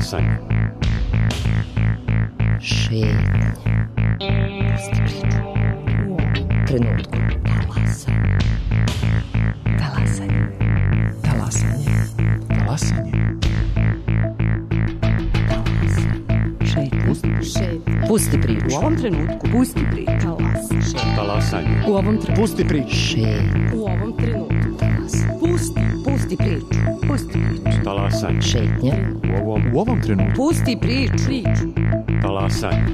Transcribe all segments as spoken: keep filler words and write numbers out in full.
Talasanje. Šetnje. Pusti priču. U ovom trenutku. Talasanje. Talasanje. Talasanje. Talasanje. Šetnje. Pusti priču. U ovom trenutku. Pusti priču. Talasanje. Talasanje. U ovom trenutku. Pusti priču. Šetnje. U ovom trenutku. Talasanje. Pusti. Pusti priču. Pusti priču. Talasanje. Šetnje. U ovom, U ovom trenutku. Pusti priču. Priču. talasanje.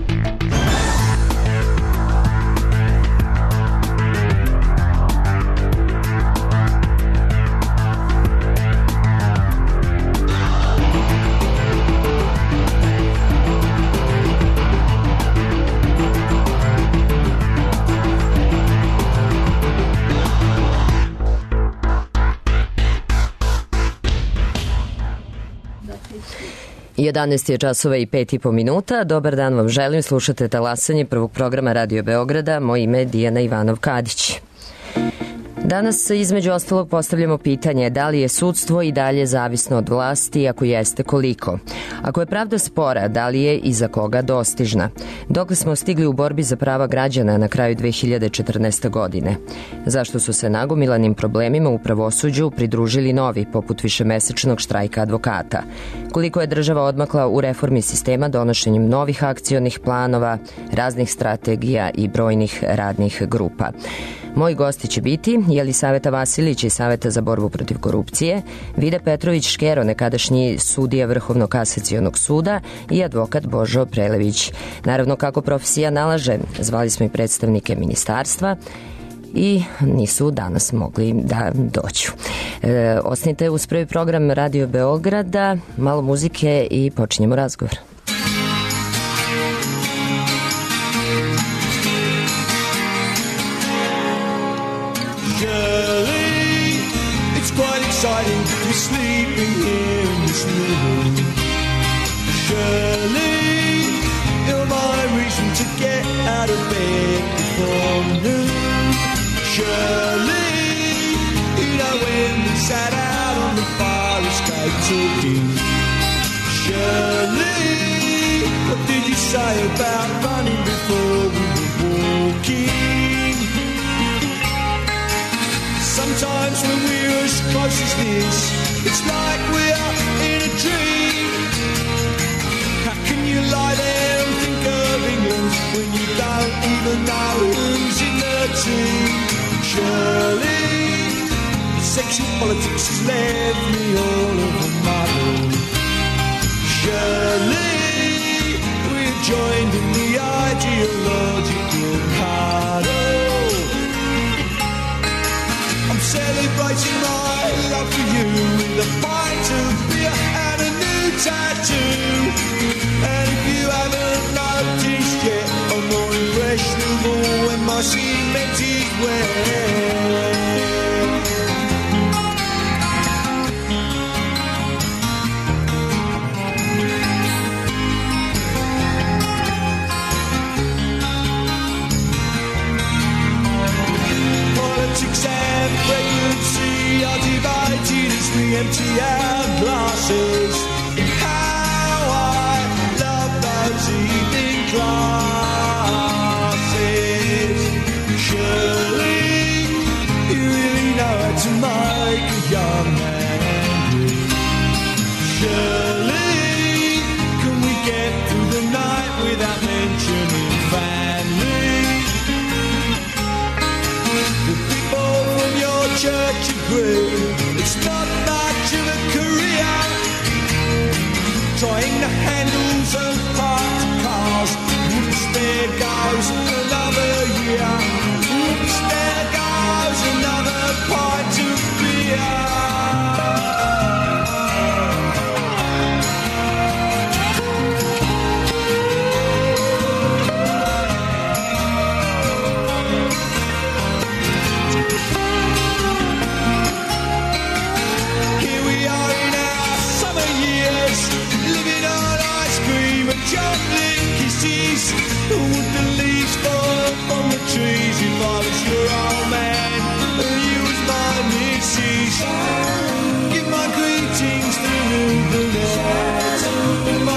jedanaest je časova i pet i po minuta. Dobar dan vam želim. Slušate Talasanje prvog programa Radio Beograda. Moje ime je Dijana Ivanov-Kadić. Danas između ostalog postavljamo pitanje da li je sudstvo i dalje zavisno od vlasti, ako jeste koliko. Ako je pravda spora, da li je i za koga dostižna. Dokle smo stigli u borbi za prava građana na kraju dve hiljade četrnaeste. godine. Zašto su se nagomilanim problemima u pravosuđu pridružili novi, poput višemesečnog štrajka advokata. Koliko je država odmakla u reformi sistema donošenjem novih akcionih planova, raznih strategija i brojnih radnih grupa. Moji gosti će biti Jelisaveta Vasilić iz Saveta za borbu protiv korupcije, Vida Petrović-Škero, nekadašnji sudija Vrhovnog kasacionog suda i advokat Božo Prelević. Naravno, kako profesija nalaže, zvali smo i predstavnike ministarstva i nisu danas mogli da dođu. E, ostanite uz prvi program Radio Beograda, malo muzike i počinjemo razgovor. Exciting to be sleeping here in this room. Surely you're my reason to get out of bed before noon. Surely you know when we sat out on the fire escape talking. Surely what did you say about running before we were walking? Sometimes when we're as close as this, it's like we're in a dream. How can you lie there and think of England when you don't even know who's in the team? Surely sexual politics has left me all of a muddle. Surely we're joined in the ideological cuddle. Celebrating my love for you with a pint of beer and a new tattoo. And if you haven't noticed yet, I'm more impressionable when my cement is wet. Politics and pregnancy are divided as we empty our glasses. How I love those evening classes. Surely you really know how to make a young man angry. Surely can we get through the night without mentioning family? Church agree, it's not much of a career. Trying the handles of parked cars. Oops, there goes another year. Oops, there goes another pint of beer. Chocolate kisses, who would the leaves fall from the trees if I was your old man and you was my missus? Give my greetings to the night.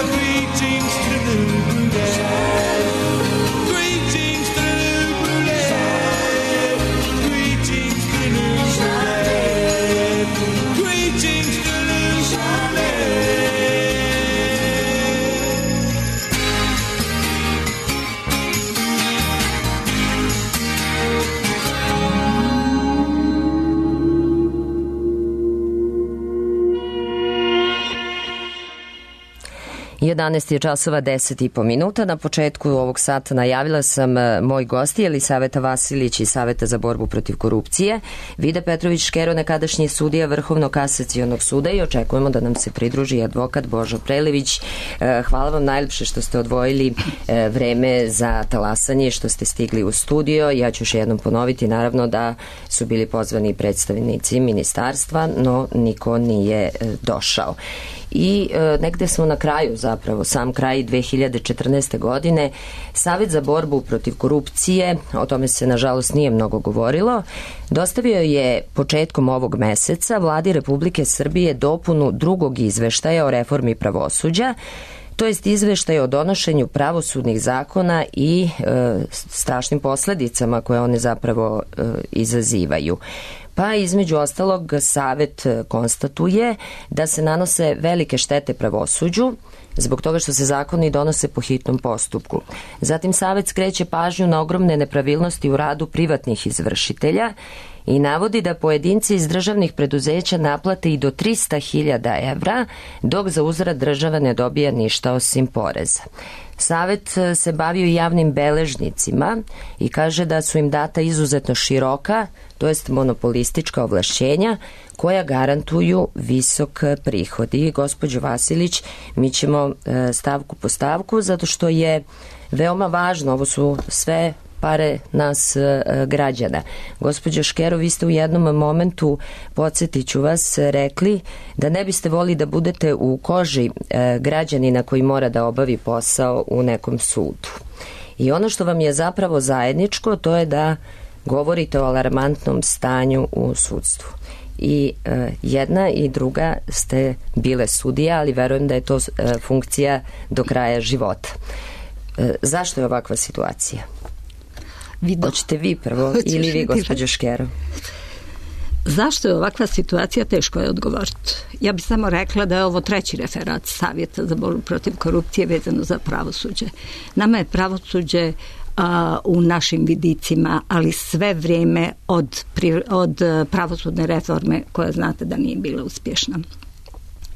jedanaest je časova deset i po minuta. Na početku ovog sata najavila sam moj gosti Jelisaveta Vasilić iz Saveta za borbu protiv korupcije, Vida Petrović Škero, nekadašnji sudija Vrhovnog kasacionog suda, i očekujemo da nam se pridruži advokat Božo Prelević. Hvala vam najljepše što ste odvojili vreme za talasanje i što ste stigli u studio. Ja ću još jednom ponoviti, naravno, da su bili pozvani predstavnici ministarstva, no niko nije došao. I e, negde smo na kraju, zapravo sam kraj dve hiljade četrnaeste. godine, Savet za borbu protiv korupcije, o tome se nažalost nije mnogo govorilo, dostavio je početkom ovog meseca Vladi Republike Srbije dopunu drugog izveštaja o reformi pravosuđa, to jest izveštaj o donošenju pravosudnih zakona i e, strašnim posledicama koje one zapravo e, izazivaju. Pa između ostalog Savet konstatuje da se nanose velike štete pravosuđu zbog toga što se zakoni donose po hitnom postupku. Zatim Savet skreće pažnju na ogromne nepravilnosti u radu privatnih izvršitelja i navodi da pojedinci iz državnih preduzeća naplate i do trista hiljada evra, dok za uzvrat država ne dobija ništa osim poreza. Savet se bavio i javnim beležnicima i kaže da su im data izuzetno široka, to jest monopolistička ovlašćenja koja garantuju visok prihod. I gospođo Vasilić, mi ćemo stavku po stavku, zato što je veoma važno, ovo su sve pare nas građana. Gospođo Škero, vi ste u jednom momentu, podsjetit ću vas, rekli da ne biste voli da budete u koži građanina koji mora da obavi posao u nekom sudu. I ono što vam je zapravo zajedničko, to je da govorite o alarmantnom stanju u sudstvu. I e, jedna i druga ste bile sudija, ali verujem da je to e, funkcija do kraja života. E, zašto je ovakva situacija? Vido. Hoćete vi prvo ili vi, gospođo Škero? Zašto je ovakva situacija, teško je odgovoriti. Ja bih samo rekla da je ovo treći referat Savjeta za borbu protiv korupcije vezano za pravosuđe. Nama je pravosuđe a, u našim vidicima, ali sve vrijeme od, od pravosudne reforme koja znate da nije bila uspješna.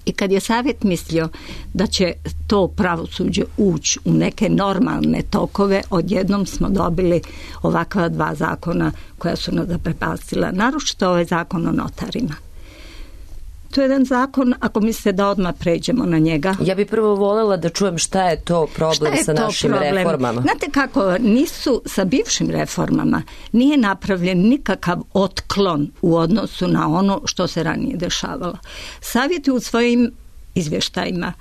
I kad je Savjet mislio da će to pravosuđe ući u neke normalne tokove, odjednom smo dobili ovakva dva zakona koja su nas zaprepastila. Naročito ovaj zakon o notarima. To je jedan zakon, ako mislite da odmah pređemo na njega. Ja bih prvo voljela da čujem šta je to problem je sa to našim problem? reformama. Znate kako, nisu sa bivšim reformama, nije napravljen nikakav otklon u odnosu na ono što se ranije dešavalo. Savjet je u svojim izvještajima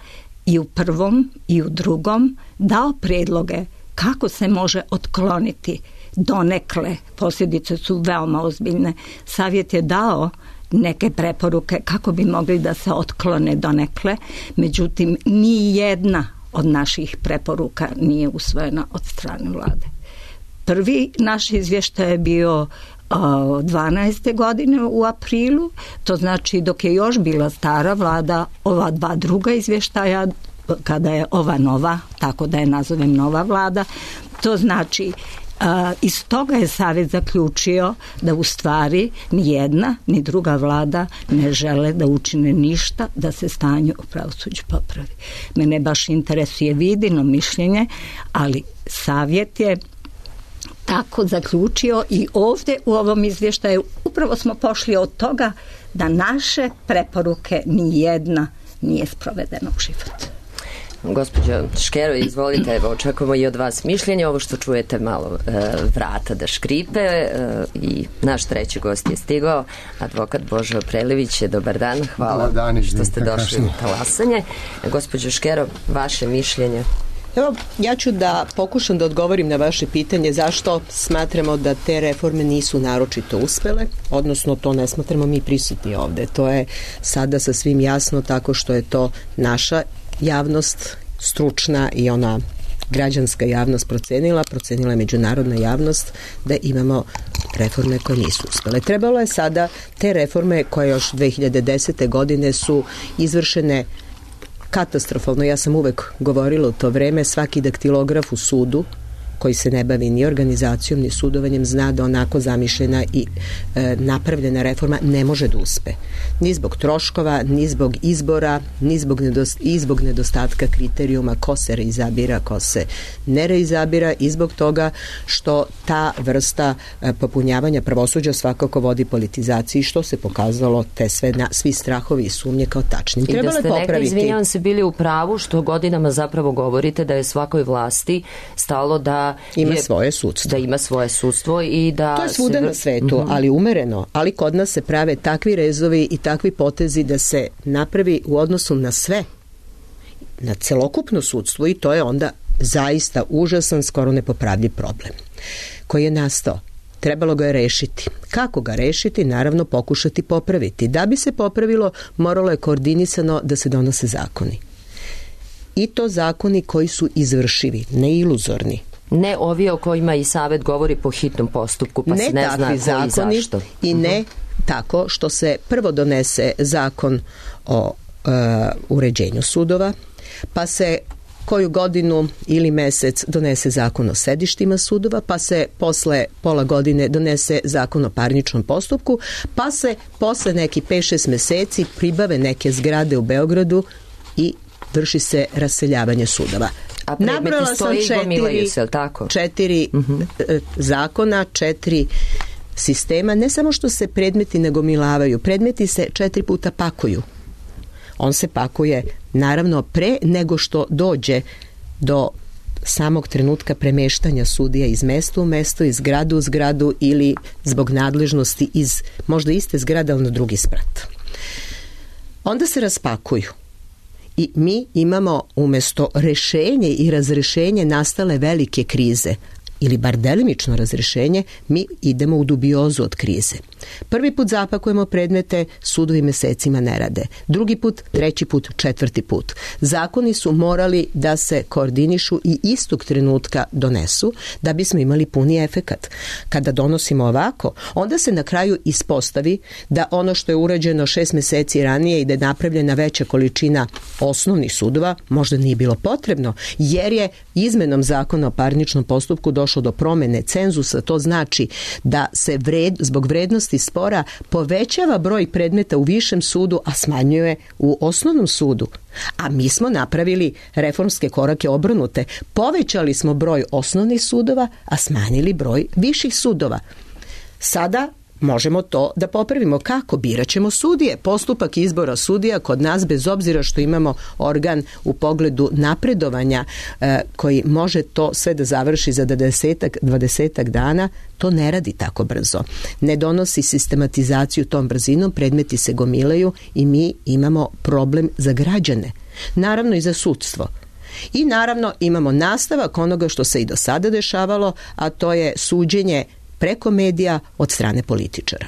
i u prvom i u drugom dao prijedloge kako se može otkloniti donekle. Posljedice su veoma ozbiljne. Savjet je dao neke preporuke kako bi mogli da se otklone donekle, međutim ni jedna od naših preporuka nije usvojena od strane vlade. Prvi naš izvještaj je bio dvanaeste. godine u aprilu, to znači dok je još bila stara vlada, ova dva druga izvještaja, kada je ova nova, tako da je nazovem nova vlada, to znači Uh, iz toga je Savjet zaključio da u stvari ni jedna ni druga vlada ne žele da učine ništa da se stanje u pravosuđu popravi. Mene baš interesuje Vidino mišljenje, ali Savjet je tako zaključio i ovdje u ovom izvještaju upravo smo pošli od toga da naše preporuke ni jedna nije sprovedena u život. Gospođo Škero, izvolite, evo, očekujemo i od vas mišljenje. Ovo što čujete malo e, vrata da škripe e, i naš treći gost je stigao, advokat Božo Prelević. Dobar dan, hvala dan, što ste došli u talasanje. Gospođo Škero, vaše mišljenje? Evo, ja ću da pokušam da odgovorim na vaše pitanje zašto smatramo da te reforme nisu naročito uspele, odnosno to ne smatramo mi prisutni ovde. To je sada sasvim jasno tako što je to naša javnost, stručna i ona građanska javnost procenila, procenila je međunarodna javnost da imamo reforme koje nisu uspjele. Trebalo je sada te reforme koje još dve hiljade desete. godine su izvršene katastrofalno. Ja sam uvek govorila u to vreme, svaki daktilograf u sudu koji se ne bavi ni organizacijom ni sudovanjem zna da onako zamišljena i e, napravljena reforma ne može da uspe. Ni zbog troškova, ni zbog izbora, ni zbog, nedost, i zbog nedostatka kriterijuma ko se reizabira, ko se ne reizabira i zbog toga što ta vrsta e, popunjavanja pravosuđa svakako vodi politizaciji, što se pokazalo te sve na, svi strahovi i sumnje kao tačnim. I da ste nekada, izvinjavam se, bili u pravu što godinama zapravo govorite da je svakoj vlasti stalo da ima je, svoje sudstvo. Da ima svoje sudstvo i da... To je svuda se... na svetu, uh-huh. ali umereno. Ali kod nas se prave takvi rezovi i takvi potezi da se napravi u odnosu na sve, na celokupno sudstvo i to je onda zaista užasan, skoro nepopravljiv problem koji je nastao. Trebalo ga je rešiti. Kako ga rešiti? Naravno pokušati popraviti. Da bi se popravilo, moralo je koordinisano da se donose zakoni. I to zakoni koji su izvršivi, ne iluzorni. Ne ovi o kojima i Savet govori po hitnom postupku, pa ne se ne zna koji zakoni, zašto. I ne uh-huh. tako što se prvo donese zakon o uh, uređenju sudova, pa se koju godinu ili mesec donese zakon o sedištima sudova, pa se posle pola godine donese zakon o parničnom postupku, pa se posle neki pet šest meseci pribave neke zgrade u Beogradu i vrši se raseljavanje sudova. A predmeti stoji i gomilaju se, tako? Četiri uh-huh. zakona, četiri sistema, ne samo što se predmeti ne gomilavaju, predmeti se četiri puta pakuju. On se pakuje naravno pre nego što dođe do samog trenutka premeštanja sudija iz mesta u mesto, iz zgradu u zgradu ili zbog nadležnosti iz možda iste zgrade, ali na drugi sprat. Onda se raspakuju. I mi imamo umesto rešenje i razrešenje nastale velike krize ili bar delimično razrešenje, mi idemo u dubiozu od krize. Prvi put zapakujemo predmete, sudovi mesecima ne rade. Drugi put, treći put, četvrti put. Zakoni su morali da se koordinišu i istog trenutka donesu da bismo imali puni efekat. Kada donosimo ovako, onda se na kraju ispostavi da ono što je urađeno šest meseci ranije i da je napravljena veća količina osnovnih sudova možda nije bilo potrebno, jer je izmenom zakona o parničnom postupku došlo do promene cenzusa. To znači da se vred, zbog vrednosti spora povećava broj predmeta u višem sudu, a smanjuje u osnovnom sudu. A mi smo napravili reformske korake obrnute. Povećali smo broj osnovnih sudova, a smanjili broj viših sudova. Sada možemo to da popravimo. Kako? Biraćemo sudije. Postupak izbora sudija kod nas, bez obzira što imamo organ u pogledu napredovanja e, koji može to sve da završi za desetak, dvadesetak dana, to ne radi tako brzo. Ne donosi sistematizaciju tom brzinom, predmeti se gomilaju i mi imamo problem za građane. Naravno i za sudstvo. I naravno imamo nastavak onoga što se i do sada dešavalo, a to je suđenje preko medija od strane političara.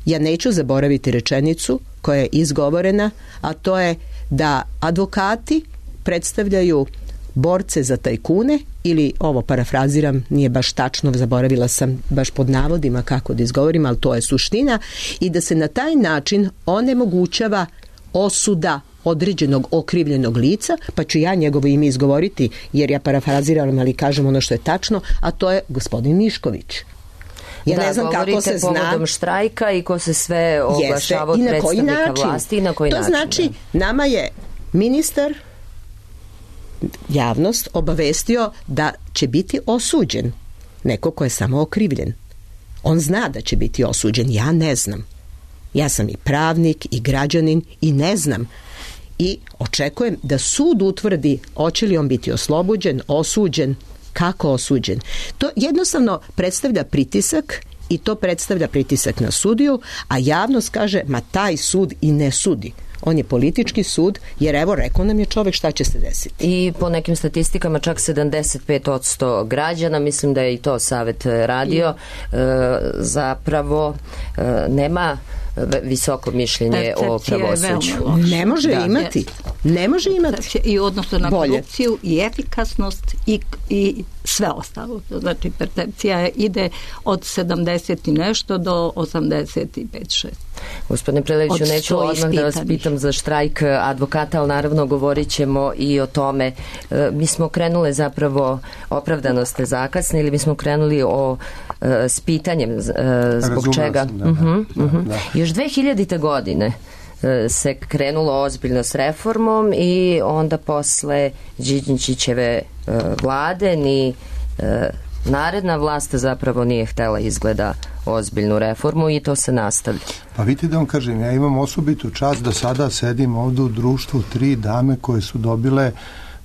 Ja neću zaboraviti rečenicu koja je izgovorena, a to je da advokati predstavljaju borce za tajkune ili, ovo parafraziram, nije baš tačno, zaboravila sam baš pod navodima kako da izgovorim, ali to je suština, i da se na taj način onemogućava osuda određenog okrivljenog lica, pa ću ja njegovo ime izgovoriti, jer ja parafraziram, ali kažem ono što je tačno, a to je gospodin Mišković. Ja da, ne znam kako se zna. Povodom štrajka i ko se sve oglašava od predstavnika vlasti i na koji to način. To znači, nama je ministar, javnost, obavestio da će biti osuđen neko ko je samo okrivljen. On zna da će biti osuđen, ja ne znam. Ja sam i pravnik i građanin i ne znam. I očekujem da sud utvrdi hoće li on biti oslobođen, osuđen, kako osuđen. To jednostavno predstavlja pritisak i to predstavlja pritisak na sudiju, a javnost kaže, ma taj sud i ne sudi. On je politički sud, jer evo rekao nam je čovek šta će se desiti. I po nekim statistikama čak sedamdeset pet posto građana, mislim da je i to Savet radio, I... e, zapravo e, nema visoko mišljenje o pravosuđu. Ne može da. imati. Ne može imati. I odnosno na Bolje. korupciju i efikasnost i, i sve ostalo. Znači percepcija ide od sedamdeset i nešto do osamdeset pet šest. Gospodine Preleviću, neću odmah da vas pitam za štrajk advokata, ali naravno govorit ćemo i o tome. Mi smo krenule zapravo, opravdano ste zakasnili, mi smo krenuli o, s pitanjem zbog Razumela čega. sam, da, uh-huh, da, uh-huh. da. Još dve hiljadite. godine se krenulo ozbiljno s reformom i onda posle Đinđićeve vlade ni naredna vlast zapravo nije htela izgleda ozbiljnu reformu i to se nastavlja. Pa vidite da vam kažem, ja imam osobitu čast da sada sedim ovde u društvu tri dame koje su dobile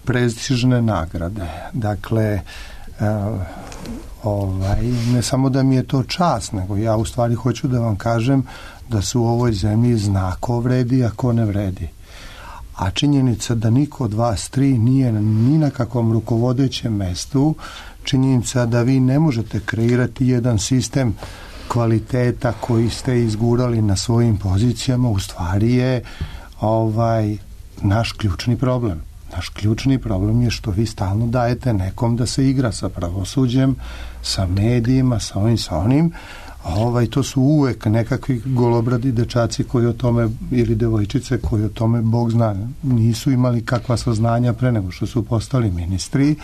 prestižne nagrade. Dakle, uh, ovaj, ne samo da mi je to čast, nego ja u stvari hoću da vam kažem da se u ovoj zemlji zna ko vredi, a ko ne vredi. A činjenica da niko od vas tri nije ni na kakvom rukovodećem mestu, činjenica da vi ne možete kreirati jedan sistem kvaliteta koji ste izgurali na svojim pozicijama, u stvari je ovaj, naš ključni problem. Naš ključni problem je što vi stalno dajete nekom da se igra sa pravosuđem, sa medijima, sa ovim, sa onim. Ovaj, to su uvek nekakvi golobradi dečaci koji o tome, ili devojčice koji o tome, Bog zna, nisu imali kakva saznanja pre nego što su postali ministri.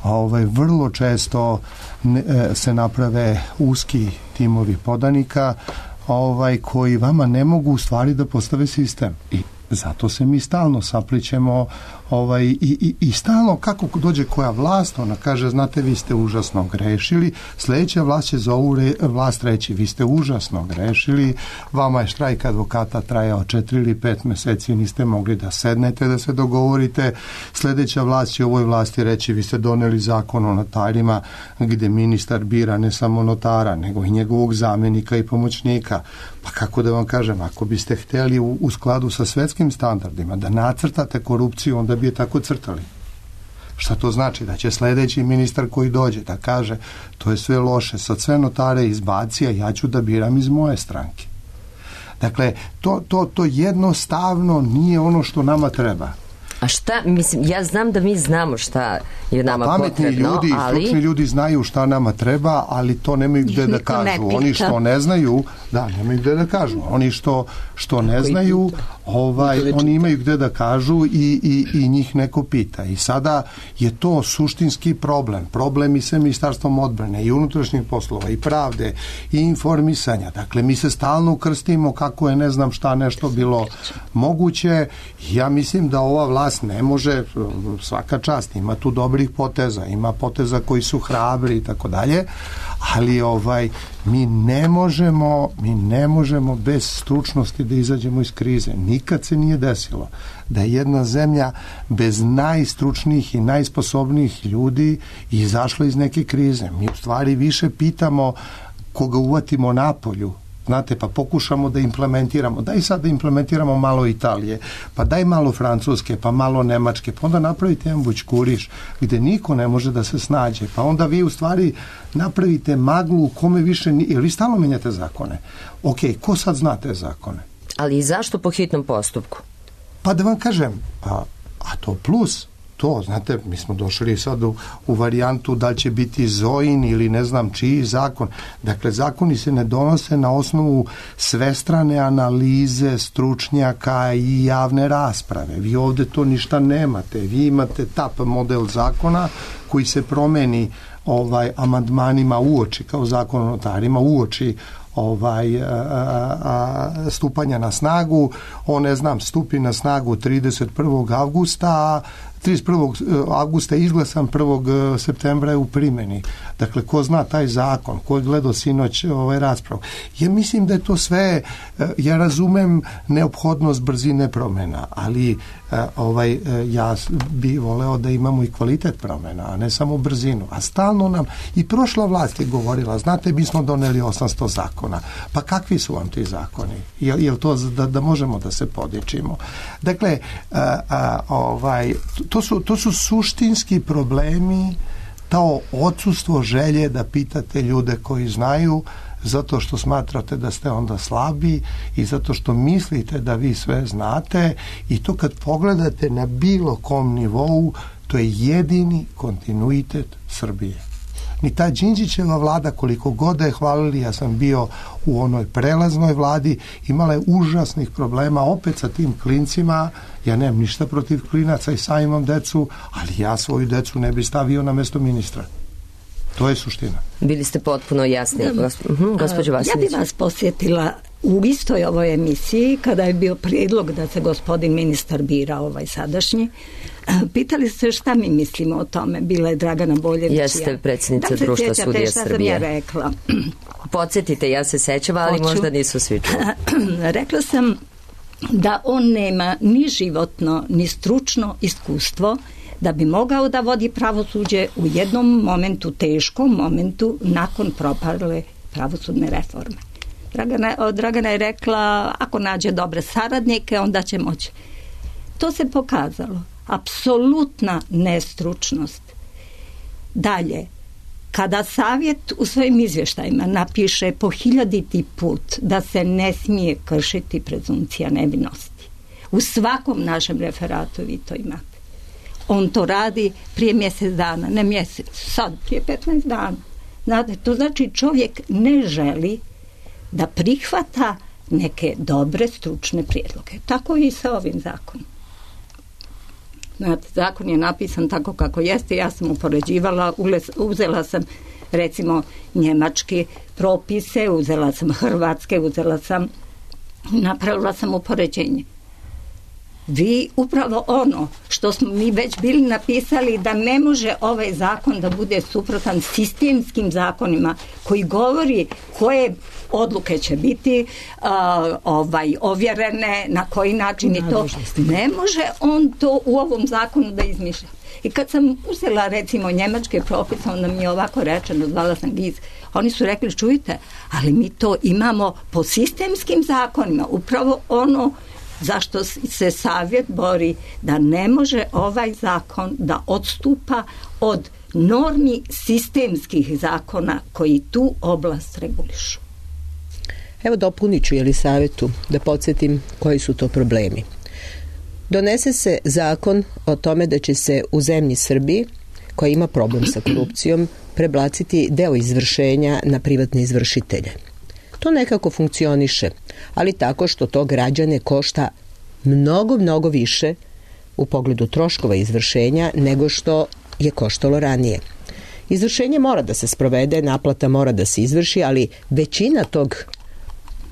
Ovaj, vrlo često ne, se naprave uski timovi podanika ovaj, koji vama ne mogu u stvari da postave sistem. I zato se mi stalno saplićemo ovaj, i, i, i stalno kako dođe koja vlast, ona kaže, znate, vi ste užasno grešili, sledeća vlast će za ovu re, vlast reći, vi ste užasno grešili, vama je štrajk advokata trajao četiri ili pet meseci, niste mogli da sednete da se dogovorite, sledeća vlast će ovoj vlasti reći, vi ste doneli zakon o notarima gde ministar bira ne samo notara, nego i njegovog zamenika i pomoćnika. Pa kako da vam kažem, ako biste hteli u, u skladu sa svetskim standardima da nacrtate korupciju, onda bi je tako crtali. Šta to znači? Da će sledeći ministar koji dođe da kaže to je sve loše, sad sve notare izbaci, a ja ću da biram iz moje stranke. Dakle, to, to, to jednostavno nije ono što nama treba. A šta, mislim, ja znam da mi znamo šta je nama pametni potrebno, ljudi, ali... stručni ljudi znaju šta nama treba, ali to nemaju gde da kažu. Oni što ne znaju, da, nemaju gde da kažu. Oni što, što ne znaju, ovaj, oni imaju gde da kažu i, i, i njih neko pita. I sada je to suštinski problem. Problem i sa Ministarstvom odbrane, i unutrašnjih poslova, i pravde, i informisanja. Dakle, mi se stalno ukrstimo kako je ne znam šta nešto bilo moguće. Ja mislim da ova vlast ne može, svaka čast, ima tu dobrih poteza, ima poteza koji su hrabri i tako dalje, ali ovaj, mi ne možemo, mi ne možemo bez stručnosti da izađemo iz krize. Nikad se nije desilo da je jedna zemlja bez najstručnijih i najsposobnijih ljudi izašla iz neke krize. Mi u stvari više pitamo koga uvatimo napolju, znate, pa pokušamo da implementiramo, daj sad da implementiramo malo Italije, pa daj malo Francuske, pa malo Nemačke, pa onda napravite jedan bućkuriš gde niko ne može da se snađe, pa onda vi u stvari napravite maglu u kome više, jer vi stalno menjate zakone. Ok, ko sad zna te zakone? Ali i zašto po hitnom postupku? Pa da vam kažem, a, a to plus... To, znate, mi smo došli sad u, u varijantu da će biti Zojin ili ne znam čiji zakon. Dakle, zakoni se ne donose na osnovu svestrane analize stručnjaka i javne rasprave. Vi ovde to ništa nemate. Vi imate tap model zakona koji se promeni ovaj amandmanima uoči, kao zakon o notarima, uoči ovaj a, a, stupanja na snagu. On, ne znam, stupi na snagu trideset prvog avgusta, trideset prvog avgusta je izglasan, prvog septembra je u primjeni. Dakle, ko zna taj zakon, ko je gledao sinoć ovaj raspravu. Ja mislim da je to sve, ja razumem neophodnost brzine promjena, ali ovaj, ja bi voleo da imamo i kvalitet promjena, a ne samo brzinu. A stalno nam, i prošla vlast je govorila, znate, mi smo doneli osamsto zakona. Pa kakvi su vam ti zakoni? Je, je li to da, da možemo da se podičimo? Dakle, a, a, ovaj, to su, to su suštinski problemi, to odsustvo želje da pitate ljude koji znaju, zato što smatrate da ste onda slabi i zato što mislite da vi sve znate, i to kad pogledate na bilo kom nivou, to je jedini kontinuitet Srbije. ni ta Đinđićeva vlada, koliko god da je hvalili, ja sam bio u onoj prelaznoj vladi, imala je užasnih problema opet sa tim klincima. Ja nemam ništa protiv klinaca i sam imam decu, ali ja svoju decu ne bi stavio na mesto ministra. To je suština. Bili ste potpuno jasni, uh-huh, gospođo Vasilić. Ja bih vas posjetila u istoj ovoj emisiji, kada je bio prijedlog da se gospodin ministar bira, ovaj sadašnji. Pitali ste šta mi mislimo o tome. Bila je Dragana Boljević. Jeste predsjednica da društva sudija šta Srbije. Sam ja rekla. Podsjetite, ja se sećam, ali Hoću. Možda nisu svi čuli. Rekla sam da on nema ni životno, ni stručno iskustvo da bi mogao da vodi pravosuđe u jednom momentu, teškom momentu, nakon propale pravosudne reforme. Dragana, Dragana je rekla, ako nađe dobre saradnike, onda će moći. To se pokazalo. Apsolutna nestručnost. Dalje, kada savjet u svojim izvještajima napiše po hiljaditi put da se ne smije kršiti prezumcija nevinosti, u svakom našem referatu vi to imate. On to radi prije mjesec dana, ne mjesec, sad prije petnaest dana. Znate, to znači čovjek ne želi da prihvata neke dobre stručne prijedloge. Tako i sa ovim zakonom. Znate, zakon je napisan tako kako jeste, ja sam upoređivala, uzela sam recimo njemačke propise, uzela sam hrvatske, uzela sam, napravila sam upoređenje. Vi upravo ono što smo mi već bili napisali da ne može ovaj zakon da bude suprotan sistemskim zakonima koji govori koje odluke će biti uh, ovaj, ovjerene, na koji način i to. Ne može on to u ovom zakonu da izmišlja. I kad sam uzela recimo njemačke propise, onda mi je ovako rečeno, zvala sam giz, oni su rekli, čujte, ali mi to imamo po sistemskim zakonima, upravo ono zašto se savjet bori da ne može ovaj zakon da odstupa od normi sistemskih zakona koji tu oblast regulišu. Evo dopunit ću Jelisavetu da podsjetim koji su to problemi. Donese se zakon o tome da će se u zemlji Srbiji, koja ima problem sa korupcijom, prebaciti deo izvršenja na privatne izvršitelje. To nekako funkcioniše, ali tako što to građane košta mnogo, mnogo više u pogledu troškova izvršenja nego što je koštalo ranije. Izvršenje mora da se sprovede, naplata mora da se izvrši, ali većina tog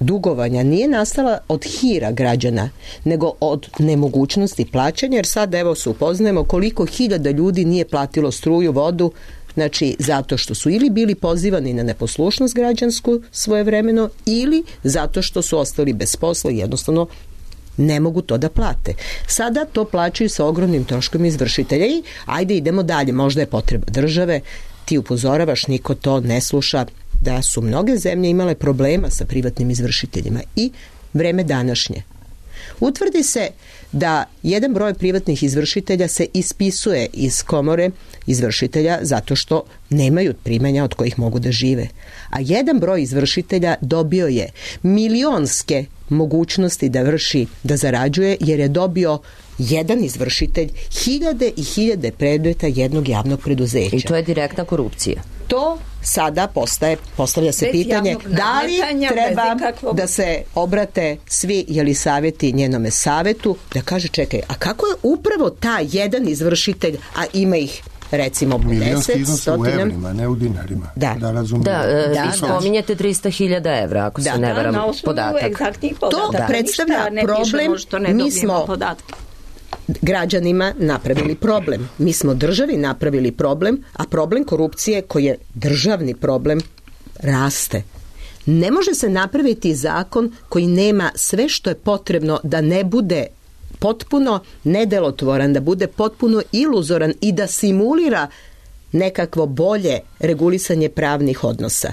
dugovanja nije nastala od hira građana, nego od nemogućnosti plaćanja, jer sad evo se upoznajemo koliko hiljada ljudi nije platilo struju, vodu, znači zato što su ili bili pozivani na neposlušnost građansku svojevremeno ili zato što su ostali bez posla i jednostavno ne mogu to da plate. Sada to plaćaju sa ogromnim troškom izvršitelja i ajde idemo dalje, možda je potreba države, ti upozoravaš, niko to ne sluša, da su mnoge zemlje imale problema sa privatnim izvršiteljima i vreme današnje. Utvrdi se da jedan broj privatnih izvršitelja se ispisuje iz komore izvršitelja zato što nemaju primanja od kojih mogu da žive. A jedan broj izvršitelja dobio je milionske mogućnosti da vrši, da zarađuje, jer je dobio jedan izvršitelj hiljade i hiljade predmeta jednog javnog preduzeća. I to je direktna korupcija. To sada postaje, postavlja se bez pitanje da li treba ikakvog... da se obrate svi Jelisaveti njenome savetu, da kaže čekaj, a kako je upravo taj jedan izvršitelj, a ima ih recimo pedeset, stotina... u evrima, ne u dinarima. Da, da razumijem. Da, e, da, vi spominjete trista hiljada evra, ako da, se ne varam, da, podatak. To da, predstavlja problem, mi smo podatke. Građanima napravili problem. Mi smo državi napravili problem, a problem korupcije, koji je državni problem, raste. Ne može se napraviti zakon koji nema sve što je potrebno da ne bude potpuno nedelotvoran, da bude potpuno iluzoran i da simulira nekakvo bolje regulisanje pravnih odnosa.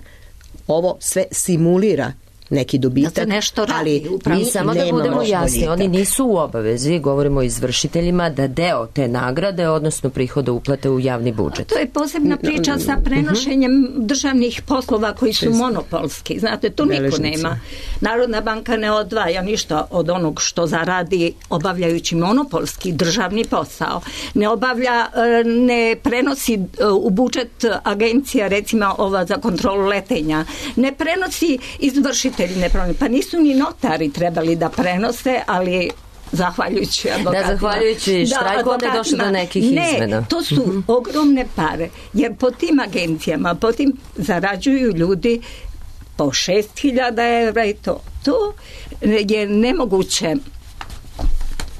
Ovo sve simulira neki dobitak. Da se nešto radi, ali upravo. mi I samo da nemamo budemo jasni, boljitak. oni nisu u obavezi, govorimo o izvršiteljima, da deo te nagrade, odnosno prihoda uplate u javni budžet. To je posebna priča sa prenošenjem državnih poslova koji su monopolski. Znate, to niko Beležnici. nema. Narodna banka ne odvaja ništa od onog što zaradi obavljajući monopolski državni posao. Ne obavlja, e, ne prenosi e, u budžet agencija, recimo ova za kontrolu letenja. Ne prenosi izvršitelji, ne prenosi. Pa nisu ni notari trebali da prenose, ali zahvaljujući advokatima. Da, zahvaljujući štrajku, onda je došlo do nekih ne, izmena. Ne, to su uh-huh. ogromne pare, jer po tim agencijama, po tim zarađuju ljudi po šest hiljada evra i to. To je nemoguće.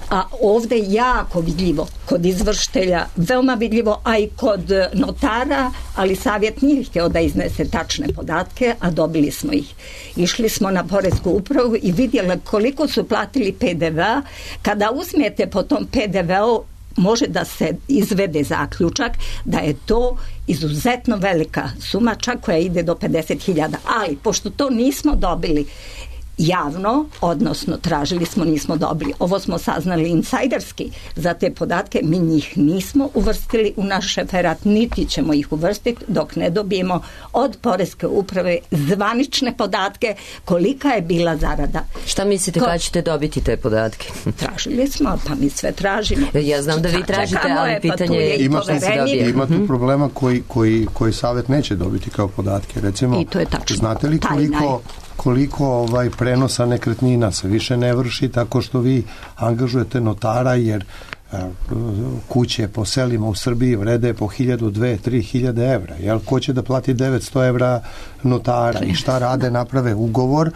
A ovde je jako vidljivo kod izvršitelja, veoma vidljivo, a i kod notara, ali savjet nije htio da iznese tačne podatke, a dobili smo ih. Išli smo na poresku upravu i vidjeli koliko su platili pe de ve a. Kada uzmete po tom pe de ve u, može da se izvede zaključak da je to izuzetno velika suma, čak koja ide do pedeset hiljada. Ali, pošto to nismo dobili javno, odnosno tražili smo, nismo dobili. Ovo smo saznali insajderski za te podatke, mi njih nismo uvrstili u naš referat, niti ćemo ih uvrstiti dok ne dobijemo od poreske uprave zvanične podatke kolika je bila zarada. Šta mislite, Ko... kada ćete dobiti te podatke? Tražili smo, pa mi sve tražimo. Ja znam da vi tražite, ali pitanje je i ima, poverenik. ima tu problema koji, koji, koji savjet neće dobiti kao podatke. Recimo, I to je tačno. Znate li koliko koliko ovaj prenosa nekretnina se više ne vrši tako što vi angažujete notara, jer uh, kuće po selima u Srbiji vrede po hiljadu, dve, tri hiljade evra. Jel, ko će da plati devetsto evra notara i šta rade? Naprave ugovor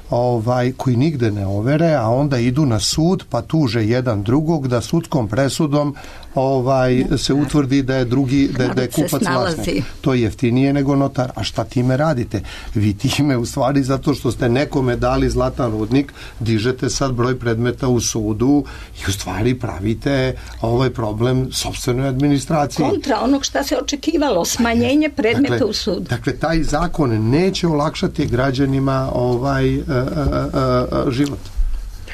ovaj, koji nigde ne overe, a onda idu na sud pa tuže jedan drugog da sudskom presudom ovaj se utvrdi da je drugi da, da je kupac vlasnik. To je jeftinije nego notar. A šta time radite? Vi time u stvari zato što ste nekome dali zlatan rudnik, dižete sad broj predmeta u sudu i u stvari pravite ovaj problem sopstvenoj administraciji. Kontra onog šta se očekivalo, smanjenje predmeta dakle, u sudu. Dakle, taj zakon neće olakšati građanima ovaj a, a, a, život.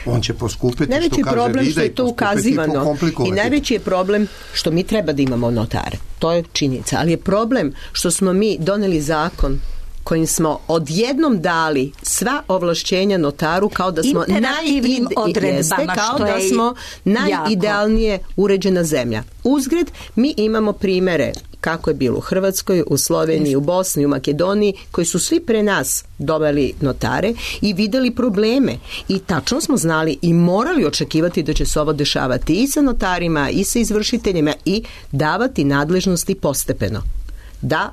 On će poskupiti, najveći što kaže problem Vida, što je to ukazivano i najveći je problem što mi treba da imamo notare. To je činjenica, ali je problem što smo mi doneli zakon kojim smo odjednom dali sva ovlašćenja notaru kao da smo imperativnim odredbama, kao što da je smo najidealnije uređena zemlja. Uzgred, mi imamo primere kako je bilo u Hrvatskoj, u Sloveniji, u Bosni, u Makedoniji, koji su svi pre nas doveli notare i videli probleme. I tačno smo znali i morali očekivati da će se ovo dešavati i sa notarima, i sa izvršiteljima i davati nadležnosti postepeno. Da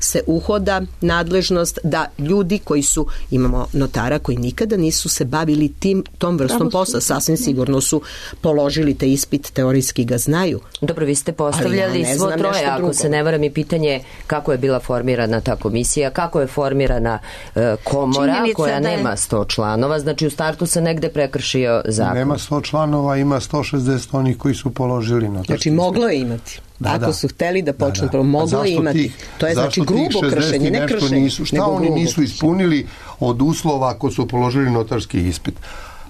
se uhoda nadležnost, da ljudi koji su, imamo notara koji nikada nisu se bavili tim, tom vrstom posla, sasvim sigurno su položili te ispit, teorijski ga znaju. Dobro, vi ste postavljali ja svo troje, ako se ne varam, i pitanje kako je bila formirana ta komisija, kako je formirana uh, komora činjenica koja je... nema sto članova, znači u startu se negde prekršio zakon. Nema sto članova, ima sto šezdeset onih koji su položili notarski. Znači moglo je imati. Da, Ako da. su hteli da počnu, da, da. moglo je imati. Tih, to je znači grubo kršenje, ne kršenje. Nisu, šta oni nisu kršenje. Ispunili od uslova ako su položili notarski ispit?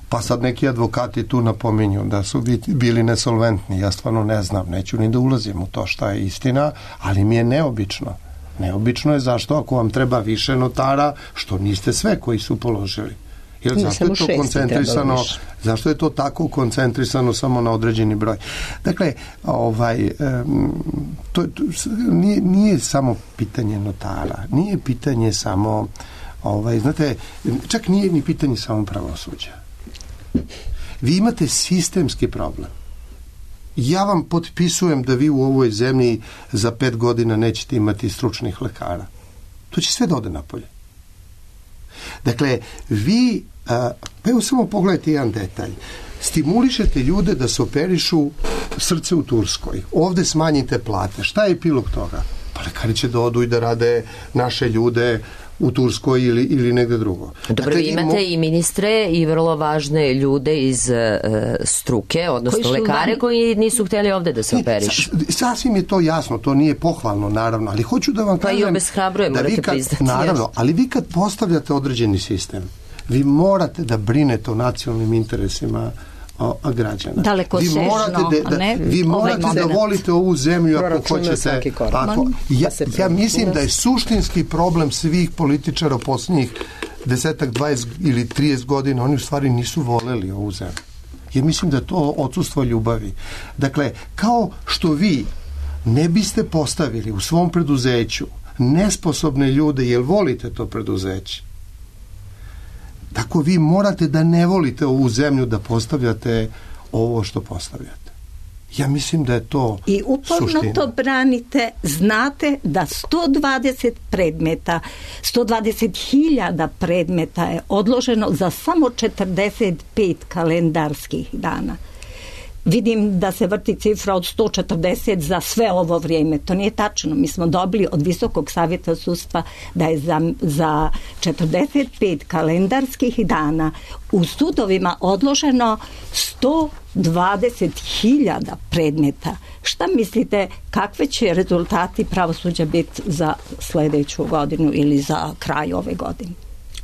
Pa sad neki advokati tu napominju da su bili nesolventni. Ja stvarno ne znam, neću ni da ulazim u to šta je istina, ali mi je neobično. Neobično je zašto ako vam treba više notara, što niste sve koji su položili. Jer zašto je to koncentrisano, zašto je to tako koncentrisano samo na određeni broj? Dakle, ovaj, to, to nije, nije samo pitanje notara, nije pitanje samo, ovaj, znate, čak nije ni pitanje samo pravosuđa. Vi imate sistemski problem. Ja vam potpisujem da vi u ovoj zemlji za pet godina nećete imati stručnih lekara. To će sve da ode napolje. Dakle, vi, a, pa evo samo pogledajte jedan detalj. Stimulišete ljude da se operišu srce u Turskoj. Ovde smanjite plate. Šta je epilog toga? Pa lekari će da odu i da rade naše ljude u Turskoj ili, ili negde drugo. Dobro, dakle, imate mo... i ministre i vrlo važne ljude iz uh, struke, odnosno lekare van... koji nisu hteli ovde da se operišu. Sasvim je to jasno, to nije pohvalno, naravno, ali hoću da vam pa kažem... Pa i obeshrabruje, morate kad, priznati. Naravno, ali vi kad postavljate određeni sistem, Vi morate da brinete o nacionalnim interesima a građana. Daleko vi sežno, morate da, ne? vi morate ovaj da volite ovu zemlju ako hoćete. Ako, ja, ja mislim da je suštinski problem svih političara posljednjih desetak, dvadeset ili trideset godina, oni u stvari nisu voleli ovu zemlju. Ja mislim da je to odsustvo ljubavi. Dakle, kao što vi ne biste postavili u svom preduzeću nesposobne ljude jer volite to preduzeće, tako vi morate da ne volite ovu zemlju da postavljate ovo što postavljate. Ja mislim da je to i uporno suština. To branite, znate da sto dvadeset predmeta, sto dvadeset hiljada predmeta je odloženo za samo četrdeset pet kalendarskih dana. Vidim da se vrti cifra od sto četrdeset za sve ovo vrijeme. To nije tačno. Mi smo dobili od Visokog savjeta sudstva da je za, za četrdeset pet kalendarskih dana u sudovima odloženo sto dvadeset hiljada predmeta. Šta mislite, kakve će rezultati pravosuđa biti za sljedeću godinu ili za kraj ove godine?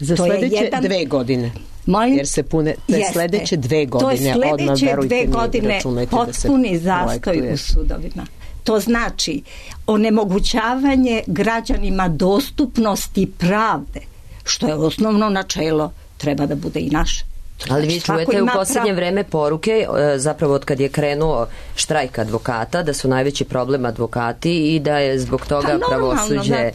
Za to sljedeće jedan... dve godine. Molim? Jer se pune te sljedeće dve godine. To je sljedeće dve godine potpuni zastoj u sudovima. To znači onemogućavanje građanima dostupnosti pravde, što je osnovno načelo, treba da bude i naše. Ali vi čujete u posljednje vreme poruke, zapravo od kad je krenuo štrajk advokata, da su najveći problem advokati i da je zbog toga pa pravosuđe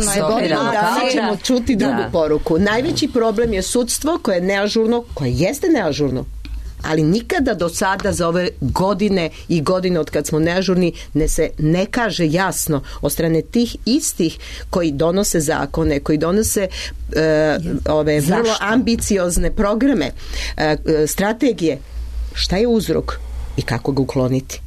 stopirano. Danas ćemo čuti drugu da. poruku. Najveći problem je sudstvo koje je neažurno, koje jeste neažurno, ali nikada do sada za ove godine i godine od kad smo neažurni ne se ne kaže jasno od strane tih istih koji donose zakone, koji donose e, ove Zašto? vrlo ambiciozne programe, e, strategije, šta je uzrok i kako ga ukloniti.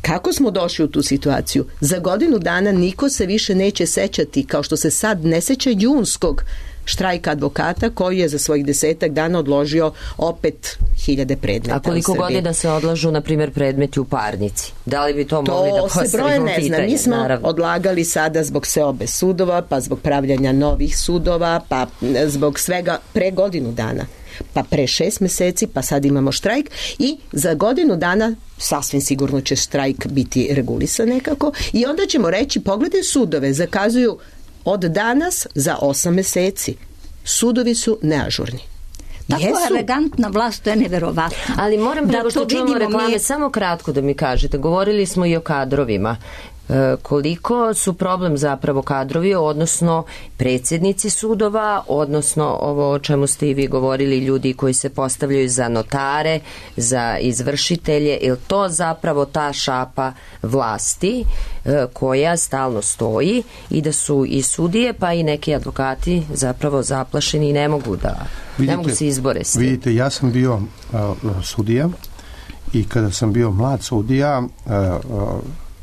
Kako smo došli u tu situaciju? Za godinu dana niko se više neće sećati, kao što se sad ne seća junskog štrajka advokata koji je za svojih desetak dana odložio opet hiljade predmeta. A koliko godina se odlažu, na primjer, predmeti u parnici? Da li bi to, to mogli da postavimo pitanje? To se broje ne zna. Mi smo naravno odlagali sada zbog seobe sudova, pa zbog pravljanja novih sudova, pa zbog svega pre godinu dana. Pa pre šest meseci, pa sad imamo štrajk i za godinu dana sasvim sigurno će štrajk biti regulisan nekako i onda ćemo reći, pogledaj sudove, zakazuju od danas za osam meseci. Sudovi su neažurni. Tako Jesu. elegantna vlast, to je neverovatno. Ali moram preko što čujemo reklame, mi... samo kratko da mi kažete, govorili smo i o kadrovima. E, koliko su problem zapravo kadrovi, odnosno predsjednici sudova, odnosno ovo o čemu ste i vi govorili, ljudi koji se postavljaju za notare, za izvršitelje, je to zapravo ta šapa vlasti e, koja stalno stoji i da su i sudije pa i neki advokati zapravo zaplašeni i ne mogu da vidite, ne mogu se izbore s tim. Vidite, ja sam bio uh, sudija i kada sam bio mlad sudija uh, uh,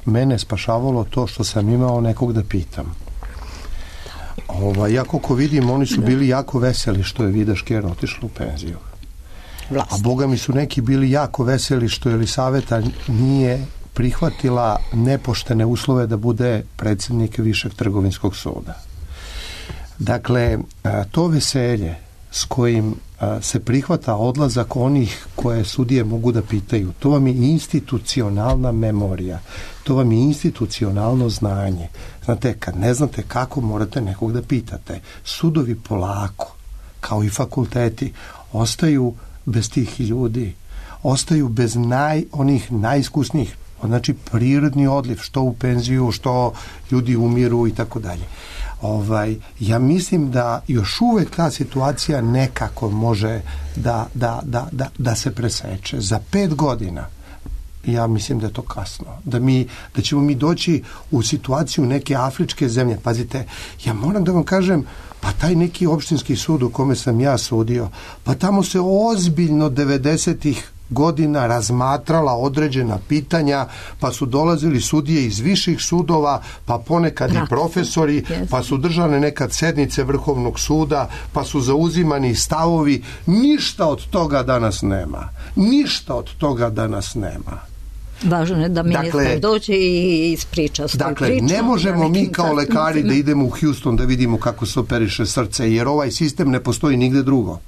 mene spašavalo to što sam imao nekog da pitam. Ova, ja koliko vidim, oni su bili jako veseli što je Vida Škern otišla u penziju. Vlast. A boga mi su neki bili jako veseli što Elisaveta nije prihvatila nepoštene uslove da bude predsjednik Višeg trgovinskog suda. Dakle, to veselje s kojim se prihvata odlazak onih koje sudije mogu da pitaju, to vam je institucionalna memorija, to vam je institucionalno znanje. Znate, kad ne znate kako, morate nekog da pitate. Sudovi polako, kao i fakulteti, ostaju bez tih ljudi, ostaju bez naj, onih najiskusnijih, znači prirodni odliv, što u penziju, što ljudi umiru i tako dalje. Ovaj, ja mislim da još uvek ta situacija nekako može da, da, da, da, da se preseče. Za pet godina ja mislim da je to kasno. Da, mi, da ćemo mi doći u situaciju neke afričke zemlje. Pazite, ja moram da vam kažem, pa taj neki opštinski sud u kome sam ja sudio, pa tamo se ozbiljno devedesetih godina razmatrala određena pitanja, pa su dolazili sudije iz viših sudova, pa ponekad i profesori, pa su držane nekad sednice Vrhovnog suda, pa su zauzimani stavovi. Ništa od toga danas nema. Ništa od toga danas nema. Važno je da ministar dakle, dođe i ispriča svoju dakle, priču. Dakle, ne možemo mi kao lekari da idemo u Houston da vidimo kako se operiše srce, jer ovaj sistem ne postoji nigde drugo.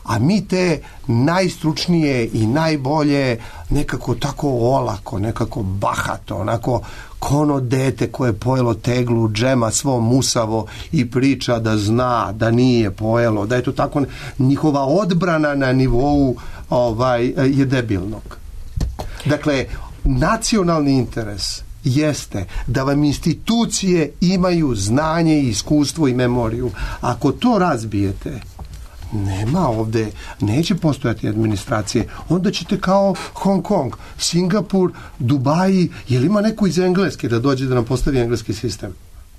a mi te najstručnije i najbolje nekako tako olako, nekako bahato, onako ko ono dete koje je pojelo teglu džema svo musavo i priča da zna da nije pojelo, da je to tako, njihova odbrana na nivou ovaj, je debilnog. Dakle, nacionalni interes jeste da vam institucije imaju znanje, iskustvo i memoriju. Ako to razbijete, nema ovde, neće postojati administracije. Onda ćete kao Hong Kong, Singapur, Dubaji, jel ima neko iz Engleske da dođe da nam postavi engleski sistem?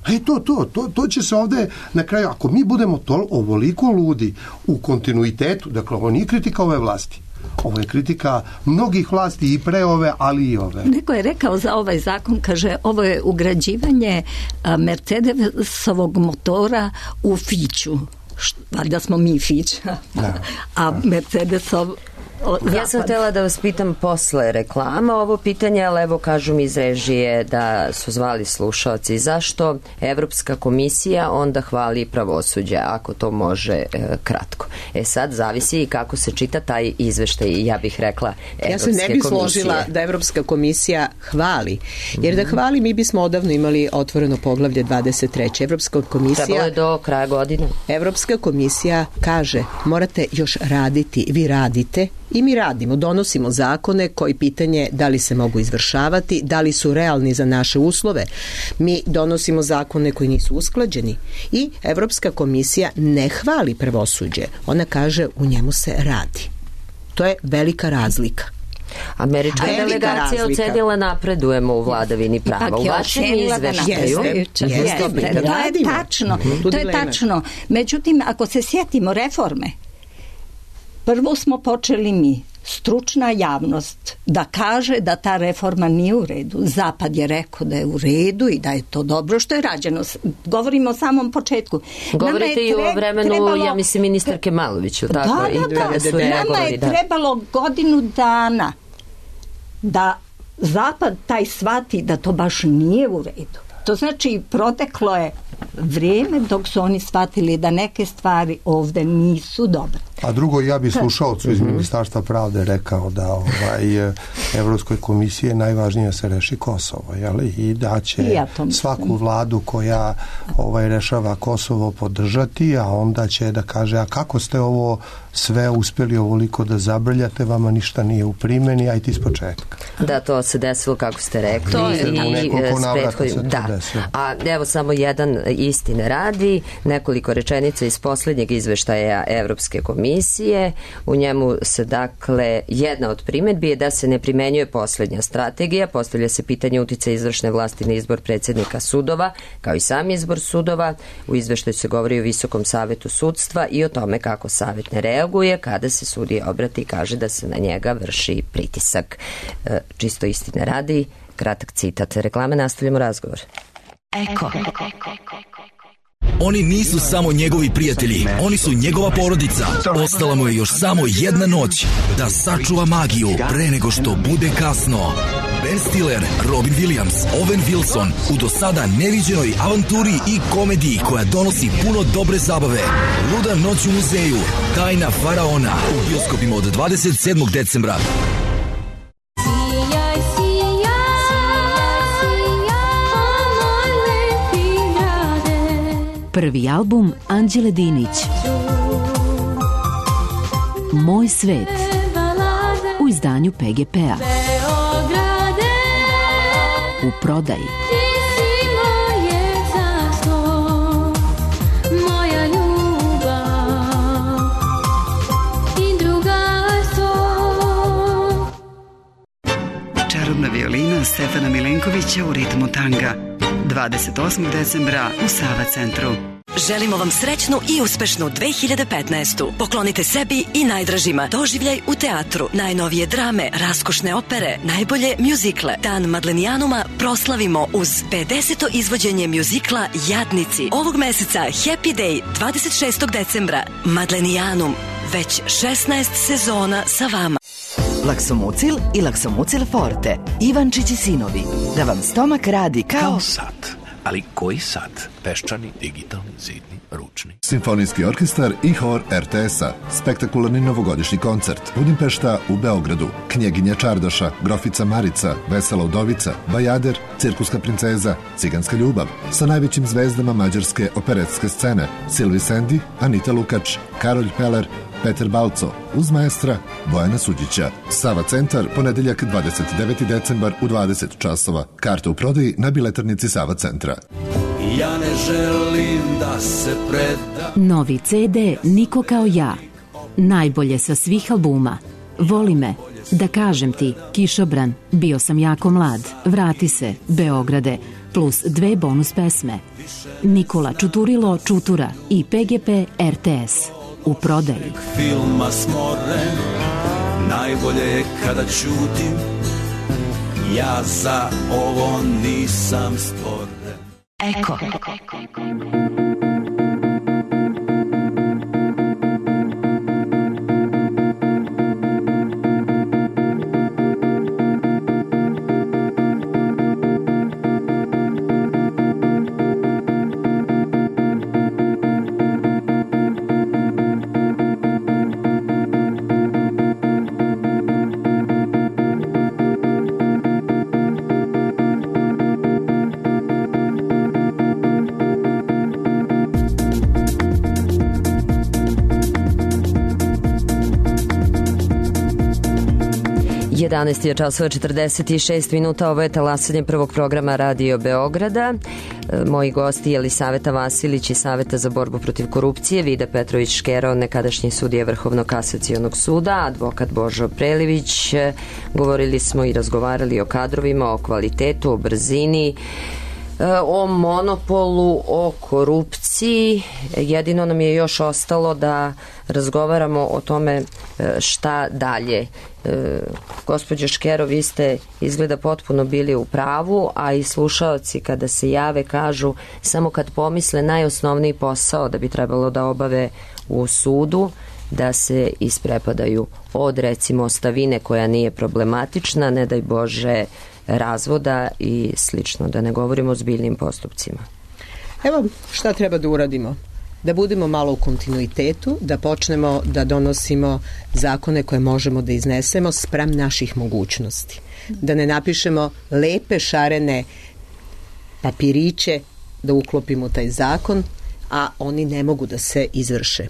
E to, to, to, to će se ovde na kraju, ako mi budemo to ovoliko ludi u kontinuitetu, dakle ovo nije kritika ove vlasti, ovo je kritika mnogih vlasti i pre ove, ali i ove. Neko je rekao za ovaj zakon, kaže, ovo je ugrađivanje Mercedesovog motora u Fiću. Da smo mi Fić, da. A Mercedesov zapad. Ja sam htjela da vas pitam posle reklama ovo pitanje, ali evo kažu mi iz režije da su zvali slušalci. Zašto Evropska komisija onda hvali pravosuđe, ako to može e, kratko? E sad zavisi i kako se čita taj izveštaj, ja bih rekla Evropske komisije. Ja se ne bih složila da Evropska komisija hvali, jer da hvali mi bismo odavno imali otvoreno poglavlje dvadeset tri. Evropska komisija... Trebalo je do kraja godine. Evropska komisija kaže, morate još raditi, vi radite, i mi radimo, donosimo zakone koji pitanje da li se mogu izvršavati, da li su realni za naše uslove. Mi donosimo zakone koji nisu usklađeni i Evropska komisija ne hvali pravosuđe. Ona kaže u njemu se radi. To je velika razlika. Američka velika delegacija razlika. Ocenila napredujemo u vladavini prava. U vašem izveštaju jeste, jeste, to je tačno. To je tačno. Međutim, ako se sjetimo reforme, prvo smo počeli mi, stručna javnost, da kaže da ta reforma nije u redu. Zapad je rekao da je u redu i da je to dobro što je rađeno. Govorimo o samom početku. Govorite i o vremenu, trebalo, ja mislim, ministarke Maloviću. Tako, da, i da, da. Su nama je da. trebalo godinu dana da Zapad taj shvati da to baš nije u redu. To znači proteklo je vrijeme dok su oni shvatili da neke stvari ovde nisu dobre. A drugo, ja bih slušalcu iz Ministarstva pravde rekao da ovaj, Evropskoj komisiji je najvažnije da se reši Kosovo, jeli? I da će ja svaku vladu koja ovaj, rešava Kosovo podržati, a onda će da kaže, a kako ste ovo sve uspjeli ovoliko da zabrljate, vama ništa nije u primjeni, a i ti iz početka. Da, to se desilo kako ste rekli. To je i, u nekoliko navrata se to da. desilo. A evo samo jedan istine radi, nekoliko rečenica iz posljednjeg izveštaja Evropske komisije. U njemu se dakle, jedna od primjedbi je da se ne primenjuje posljednja strategija, postavlja se pitanje uticaja izvršne vlasti na izbor predsjednika sudova, kao i sam izbor sudova. U izveštaju se govori o Visokom savetu sudstva i o tome kako savet ne reaguje kada se sudija obrati i kaže da se na njega vrši pritisak. E, čisto istine radi, kratak citat. Reklame, nastavljamo razgovor. Eko. Oni nisu samo njegovi prijatelji, oni su njegova porodica. Ostala mu je još samo jedna noć da sačuva magiju pre nego što bude kasno. Ben Stiller, Robin Williams, Owen Wilson u do sada neviđenoj avanturi i komediji koja donosi puno dobre zabave. Luda noć u muzeju, Tajna faraona u bioskopima od dvadeset sedmog decembra. Prvi album Anđele Dinić. Moj svet. U izdanju P G P-a. U prodaji. Čarobna violina Stefana Milenkovića u ritmu tanga. dvadeset osmog decembra u Sava centru. Želimo vam srećnu i uspešnu dve hiljade petnaestu. Poklonite sebi i najdražima doživljaj u teatru, najnovije drame, raskošne opere, najbolje mjuzikle. Dan Madlenijanuma proslavimo uz pedeseto izvođenje mjuzikla Jadnici. Ovog meseca Happy Day dvadeset šestog decembra. Madlenijanum, već šesnaest sezona sa vama. Laksomucil i Laksomucil Forte. Ivančić i sinovi. Da vam stomak radi kao... Kao sat. Ali koji sad? Peščani, digitalni, zidni, ručni? Simfonijski orkestar i hor er te es-a. Spektakularni novogodišnji koncert. Budimpešta u Beogradu. Knjeginja Čardaša, Grofica Marica, Vesela udovica, Bajader, Cirkuska princeza, Ciganska ljubav. Sa najvećim zvezdama mađarske operetske scene. Silvi Sendi, Anita Lukač, Karolj Peler, Peter Balco, uz maestra Bojana Suđića. Sava centar, ponedeljak dvadeset deveti decembar u dvadeset časova. Karte u prodaji na biletarnici Sava centra. Ja ne želim da se predam. Novi ce de Niko kao ja. Najbolje sa svih albuma. Voli me, Da kažem ti, Kišobran, Bio sam jako mlad, Vrati se, Beograde, plus dve bonus pesme. Nikola Čuturilo Čutura i pe ge pe er te es. U prodaji. Filma smoren, najbolje je kada ćutim, ja za ovo nisam stvoren. Eko. jedanaest je časova četrdeset šest minuta, ovo je talasanje prvog programa Radio Beograda. Moji gosti Jelisaveta Vasilić iz Saveta za borbu protiv korupcije, Vida Petrović Škero, nekadašnji sudija Vrhovnog kasacionog suda, advokat Božo Prelivić. Govorili smo i razgovarali o kadrovima, o kvalitetu, o brzini, o monopolu, o korupciji. Jedino nam je još ostalo da razgovaramo o tome šta dalje. Gospođo Škero, vi ste izgleda potpuno bili u pravu, a i slušaoci kada se jave kažu samo kad pomisle najosnovniji posao da bi trebalo da obave u sudu, da se isprepadaju od recimo ostavine koja nije problematična, ne daj Bože razvoda i slično, da ne govorimo o zbiljnim postupcima. Evo šta treba da uradimo. Da budemo malo u kontinuitetu, da počnemo da donosimo zakone koje možemo da iznesemo spram naših mogućnosti. Da ne napišemo lepe šarene papiriće da uklopimo taj zakon, a oni ne mogu da se izvrše.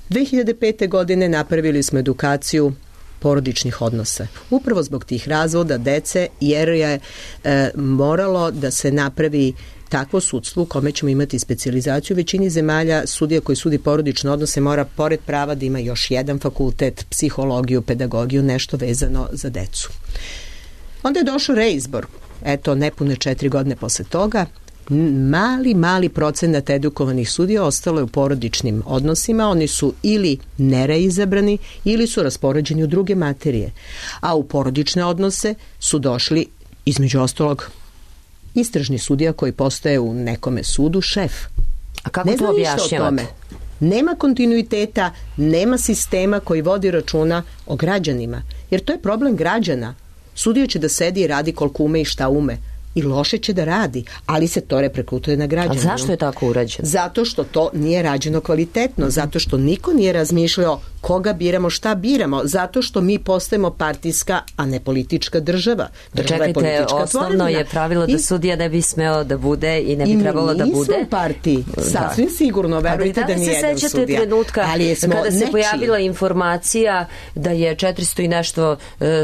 dve hiljade pete. godine napravili smo edukaciju porodičnih odnosa. Upravo zbog tih razvoda dece, jer je e, moralo da se napravi takvo sudstvo u kome ćemo imati specijalizaciju. U većini zemalja sudija koji sudi porodične odnose mora pored prava da ima još jedan fakultet, psihologiju, pedagogiju, nešto vezano za decu. Onda je došao reizbor. Eto, nepune četiri godine posle toga, mali, mali procenat edukovanih sudija ostalo je u porodičnim odnosima. Oni su ili nereizabrani ili su raspoređeni u druge materije. A u porodične odnose su došli, između ostalog, istražni sudija koji postaje u nekome sudu šef. A kako ne to objašnjavate? Nema kontinuiteta, nema sistema koji vodi računa o građanima. Jer to je problem građana. Sudija će da sedi i radi koliko ume i šta ume. I loše će da radi, ali se to reperkutuje na građanima. A zašto je tako urađeno? Zato što to nije rađeno kvalitetno, zato što niko nije razmišljao koga biramo, šta biramo, zato što mi postajemo partijska, a ne politička država. Država Čekajte, je osnovno tvorevina. Je pravilo da I, sudija ne bi smeo da bude i ne bi trebalo da bude. I mi nismo partiji, sasvim da. sigurno, verujte da, da nije jedan sudija. A da li se sećate trenutka kada se nečiji. pojavila informacija da je četiristo i nešto uh,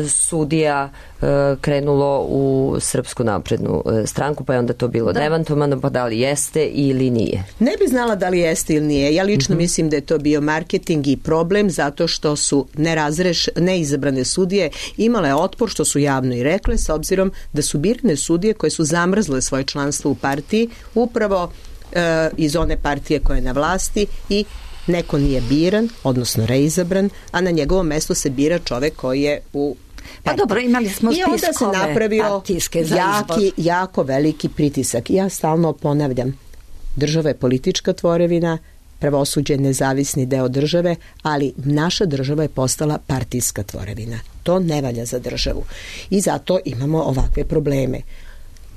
sudija uh, krenulo u Srpsku naprednu uh, stranku, pa je onda to bilo da. demantovano, pa da li jeste ili nije? Ne bi znala da li jeste ili nije. Ja lično mm-hmm. mislim da je to bio marketing i problem, zato što su nerazreš, neizabrane sudije imale otpor, što su javno i rekle, s obzirom da su birane sudije koje su zamrzle svoje članstvo u partiji, upravo e, iz one partije koja je na vlasti i neko nije biran, odnosno reizabran, a na njegovo mesto se bira čovek koji je u Pa dobro, imali smo spiskove. I onda se napravio jaki, jako veliki pritisak. Ja stalno ponavljam, država je politička tvorevina, pravosuđe je nezavisni deo države, ali naša država je postala partijska tvorevina. To ne valja za državu. I zato imamo ovakve probleme.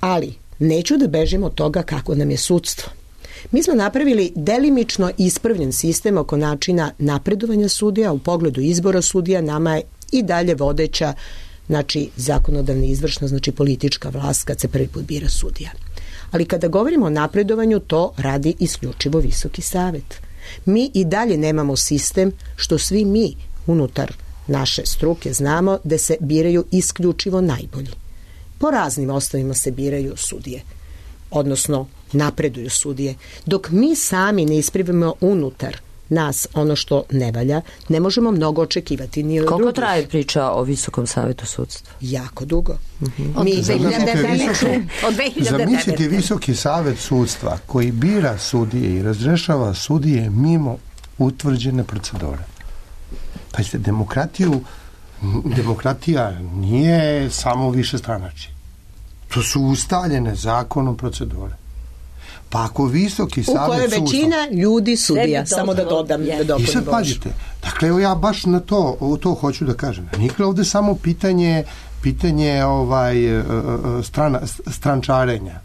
Ali neću da bežim od toga kako nam je sudstvo. Mi smo napravili delimično ispravljen sistem oko načina napredovanja sudija, u pogledu izbora sudija nama je i dalje vodeća, znači zakonodavna izvršna, znači politička vlast kad se prvi put bira sudija. Ali kada govorimo o napredovanju, to radi isključivo Visoki savet. Mi i dalje nemamo sistem što svi mi unutar naše struke znamo da se biraju isključivo najbolji. Po raznim osnovima se biraju sudije, odnosno napreduju sudije. Dok mi sami ne ispravimo unutar nas ono što ne valja, ne možemo mnogo očekivati ni od Koliko drugih. traje priča o Visokom savetu sudstva? Jako dugo. Uh-huh. Od Mi dve hiljade devete. Od dve hiljade devete. Zamislite Visoki savet sudstva koji bira sudije i razrešava sudije mimo utvrđene procedure. Pazite, demokratiju, demokratija nije samo više stranačje. To su ustaljene zakonom procedure. Pa ako Visoki savet sudstva... U kojoj većina ljudi sudija, samo da dodam. Da I sad pazite, dakle, evo ja baš na to, to hoću da kažem. Nije ovde samo pitanje, pitanje ovaj, strana, strančarenja,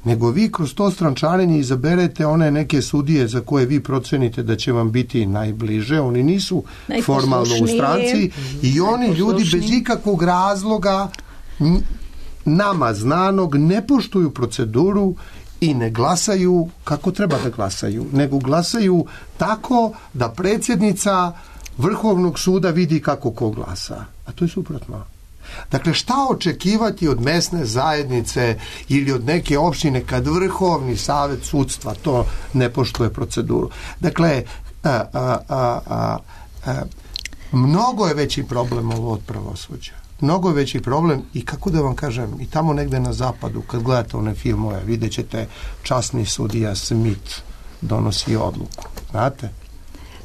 nego vi kroz to strančarenje izaberete one neke sudije za koje vi procenite da će vam biti najbliže, oni nisu formalno u stranci i oni ljudi bez ikakvog razloga nama znanog ne poštuju proceduru i ne glasaju kako treba da glasaju, nego glasaju tako da predsjednica Vrhovnog suda vidi kako ko glasa. A to je suprotno. Dakle, šta očekivati od mesne zajednice ili od neke opštine kad Vrhovni savet sudstva to ne poštuje proceduru? Dakle, a, a, a, a, a, mnogo je veći problem ovo od pravosuđa. Mnogo je veći problem i kako da vam kažem, i tamo negde na zapadu, kad gledate one filmove, vidjet ćete časni sudija Smith donosi odluku. Znate?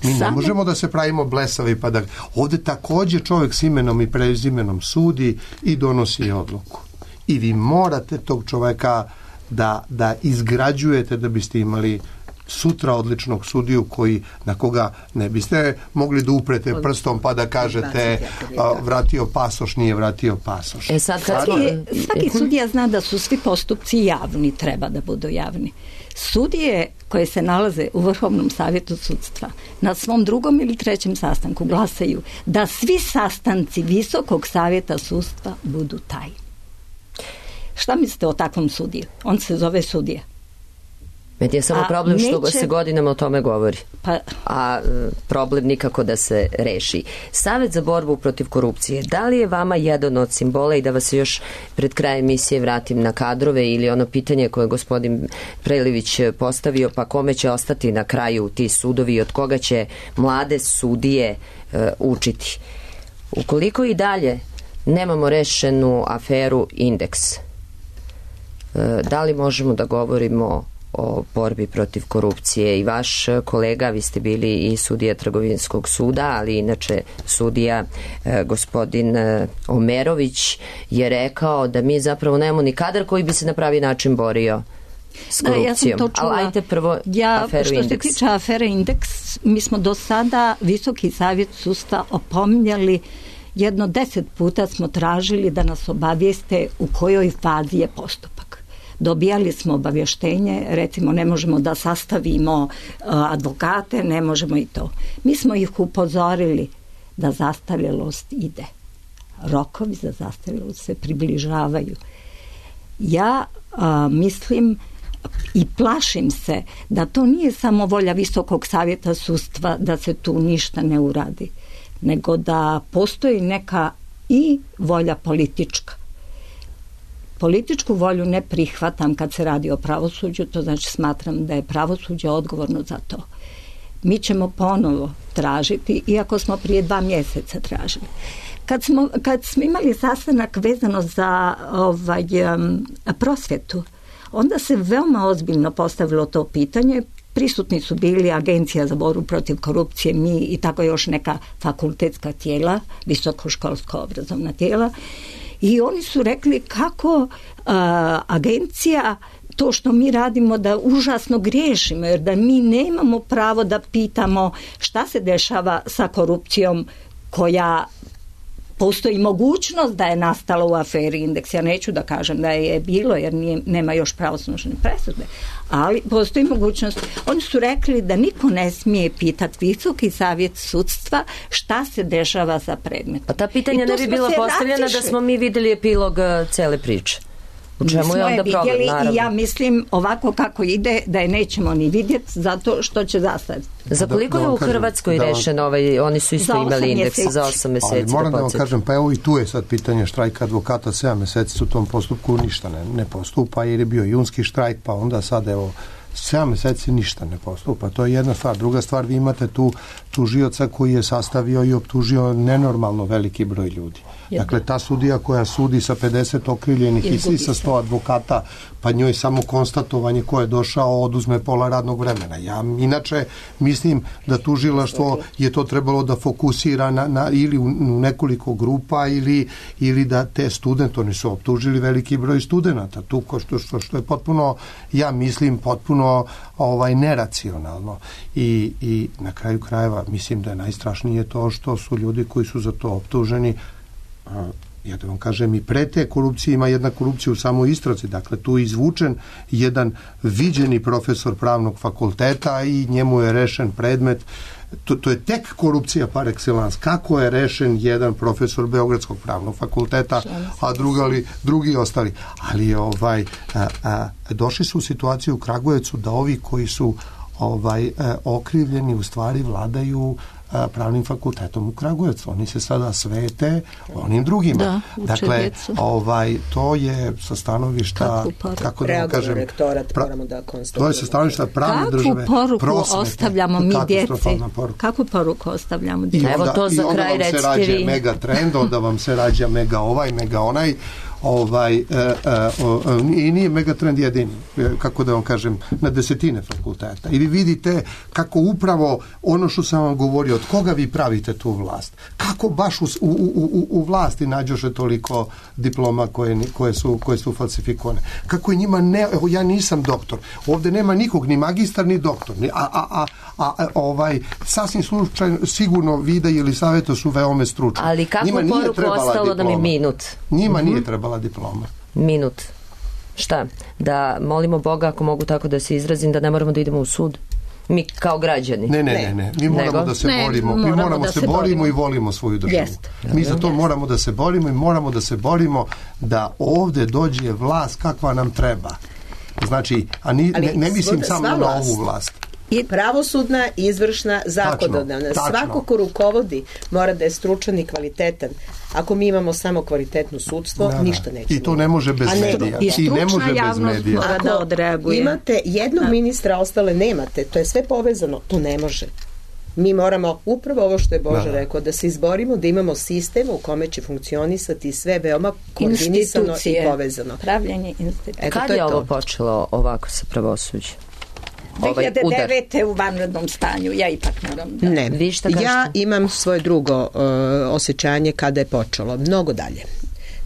Mi ne možemo da se pravimo blesavi pa da... Ovde takođe čovjek s imenom i prezimenom sudi i donosi odluku. I vi morate tog čovjeka da, da izgrađujete da biste imali sutra odličnog sudiju koji, na koga ne biste mogli da uprete prstom pa da kažete a, vratio pasoš, nije vratio pasoš. E sad, kad svaki, svaki sudija zna da su svi postupci javni, treba da budu javni. Sudije koje se nalaze u Vrhovnom savjetu sudstva na svom drugom ili trećem sastanku glasaju da svi sastanci Visokog savjeta sudstva budu tajni. Šta mislite o takvom sudiju? On se zove sudija. Meni je samo a problem što neće... se godinama o tome govori, pa... a problem nikako da se reši. Savet za borbu protiv korupcije, da li je vama jedan od simbola, i da vas još pred krajem emisije vratim na kadrove ili ono pitanje koje je gospodin Prelivić postavio, pa kome će ostati na kraju ti sudovi i od koga će mlade sudije e, učiti? Ukoliko i dalje nemamo rešenu aferu Indeks, e, da li možemo da govorimo o borbi protiv korupcije? I vaš kolega, vi ste bili i sudija Trgovinskog suda, ali inače sudija e, gospodin e, Omerović je rekao da mi zapravo nemamo ni kadar koji bi se na pravi način borio s korupcijom. Da, ja sam to čula. Ali ajte prvo ja, aferu što Indeks. Što se tiče afere Indeks, mi smo do sada Visoki savjet sudstva opominjali, jedno deset puta smo tražili da nas obavijeste u kojoj fazi je postupak. Dobijali smo obavještenje, recimo ne možemo da sastavimo uh, advokate, ne možemo i to. Mi smo ih upozorili da zastarjelost ide. Rokovi za zastarjelost se približavaju. Ja uh, mislim i plašim se da to nije samo volja Visokog savjeta sudstva da se tu ništa ne uradi, nego da postoji neka i volja politička. Političku volju ne prihvatam kad se radi o pravosuđu, to znači smatram da je pravosuđe odgovorno za to. Mi ćemo ponovo tražiti, iako smo prije dva mjeseca tražili. Kad smo, kad smo imali sastanak vezano za ovaj, um, prosvjetu, onda se veoma ozbiljno postavilo to pitanje. Prisutni su bili Agencija za borbu protiv korupcije, mi i tako još neka fakultetska tijela, visokoškolska obrazovna tijela. I oni su rekli kako uh, agencija, to što mi radimo, da užasno griješimo, jer da mi nemamo pravo da pitamo šta se dešava sa korupcijom koja postoji mogućnost da je nastala u aferi Indeks. Ja neću da kažem da je bilo, jer nije, nema još pravosnažne presude, ali postoji mogućnost. Oni su rekli da niko ne smije pitati Visoki savjet sudstva šta se dešava za predmet. Pa ta pitanja ne bi bila postavljena da smo mi videli epilog cele priče. U čemu je onda problem, naravno? I ja mislim ovako kako ide da je nećemo ni vidjeti zato što će zastaviti. Za koliko je u Hrvatskoj rešen ovaj, oni su isto imali indeks za osam meseci. Ali moram da vam kažem, pa evo i tu je sad pitanje štrajka advokata, sedam meseci u tom postupku ništa ne, ne postupa jer je bio junski štrajk, pa onda sad evo sedam meseci ništa ne postupa. To je jedna stvar. Druga stvar, vi imate tu tužioca koji je sastavio i optužio nenormalno veliki broj ljudi. Dakle, ta sudija koja sudi sa pedeset okrivljenih i sa sto advokata, pa njoj samo konstatovanje ko je došao oduzme pola radnog vremena. Ja inače mislim da tužilaštvo je to trebalo da fokusira na, na ili u, u nekoliko grupa ili, ili da te studente, oni su optužili veliki broj studenata, tu ko što, što, što je potpuno, ja mislim, potpuno ovaj, neracionalno. I, i na kraju krajeva mislim da je najstrašnije to što su ljudi koji su za to optuženi, a, ja da vam kažem, i pre te korupcije ima jedna korupcija u samoj istrazi. Dakle, tu je izvučen jedan viđeni profesor pravnog fakulteta i njemu je rešen predmet. To, to je tek korupcija par excellence. Kako je rešen jedan profesor Beogradskog pravnog fakulteta, a drugi, drugi ostali. Ali ovaj, a, a, došli su u situaciju u Kragujevcu da ovi koji su ovaj, a, okrivljeni u stvari vladaju pravnim fakultetom u Kragujevcu. Oni se sada svete onim drugima. Da, dakle, ovaj, to je sa stanovišta kako da vam kažem, rektorat, moramo da konstatujemo. To je sa stanovišta pravne države, kakvu poruku prosvete, ostavljamo mi djeci? Kakvu poruku ostavljamo djeci? Evo to za kraj recite vi. I onda vam se rađa mega trend, onda vam se rađa mega ovaj, mega onaj, ovaj, e, e, o, i nije Megatrend jedini, kako da vam kažem, na desetine fakulteta. I vi vidite kako upravo ono što sam vam govorio, od koga vi pravite tu vlast? Kako baš u, u, u, u vlasti nađoše toliko diploma koje, koje, su, koje su falsifikovane? Kako je njima ne... Evo, ja nisam doktor. Ovde nema nikog, ni magistar, ni doktor. Ni, a, a, a, a ovaj, sasvim slučajno, sigurno Vida ili Saveta su veome stručni. Ali kako poruku ostalo da mi minut? Njima mm-hmm. nije trebala diploma. Minut. Šta? Da molimo Boga, ako mogu tako da se izrazim, da ne moramo da idemo u sud? Mi kao građani. Ne, ne, ne, ne. Mi moramo Nego? da se ne, borimo. Mi moramo da se, se borimo, borimo i volimo svoju državu. Jest. Mi za to Jest. moramo da se borimo i moramo da se borimo da ovde dođe vlast kakva nam treba. Znači, a ni, ne, ne mislim samo na ovu vlast. I pravosudna, izvršna, zakonodavna. Svako ko rukovodi mora da je stručan i kvalitetan. Ako mi imamo samo kvalitetno sudstvo, da, ništa neće. I to ne može bez medija. I stručna javnost mora da odreaguje. Imate jednog da. ministra, ostale nemate. To je sve povezano. To ne može. Mi moramo upravo ovo što je Bože da. rekao, da se izborimo, da imamo sistem u kome će funkcionisati sve veoma koordinisano i povezano. Pravljenje institucije. Kad je, je ovo počelo ovako sa pravosuđem? dve hiljade devete u vanrednom stanju, ja ipak moram da... Ne, ja imam svoje drugo uh, osjećanje kada je počelo, mnogo dalje.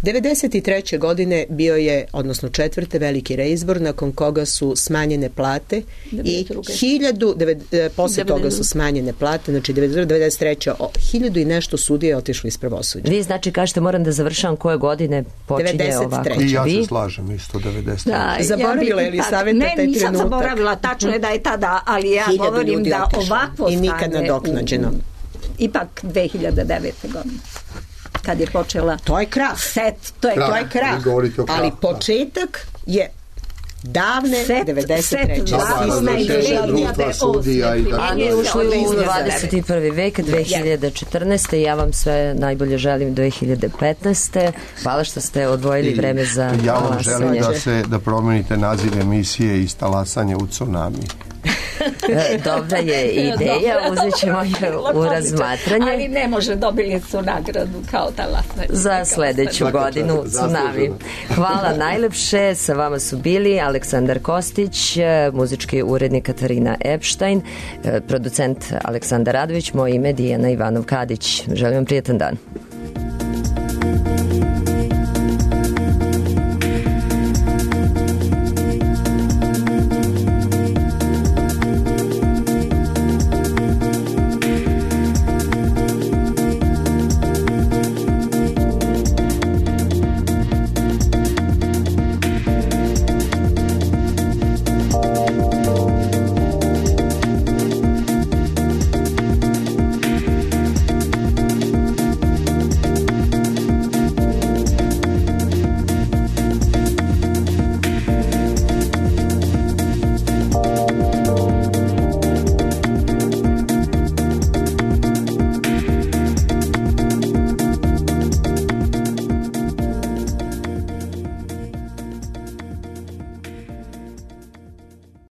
devedeset treće godine bio je, odnosno četvrte, veliki reizbor nakon koga su smanjene plate i hiljadu, deved, posle toga su smanjene plate, znači devedeset treće hiljadu i nešto sudije je otišlo iz pravosuđa. Vi znači kažete moram da završavam koje godine počinje ovako? I ja se slažem isto devedeset treće. Da, zaboravila je li savjeta taj trenutak? Ne, nisam zaboravila, tačno je da je tada, ali ja govorim da ovakvo stanje... I nikad nadoknađeno. Ipak dve hiljade devete godine. Kad je počela... To je krah. Set, to je krah. To je krah. Ali početak je davne set, devedeset treće. A mi ušli u dvadeset i prvi vek, dve hiljade četrnaeste. Ja vam sve najbolje želim dve hiljade petnaeste. Hvala što ste odvojili vreme za ja vam želim da se da promenite naziv emisije iz talasanje u tsunami. Dobra je ideja, uzet ćemo je u razmatranje. Ali ne može, dobili su nagradu kao talasanje. Za sledeću godinu Tsunami. Hvala najlepše, sa vama su bili Aleksandar Kostić, muzički urednik Katarina Epštajn, producent Aleksandar Radović, moje ime Dijana Ivanov Kadić. Želim vam prijetan dan.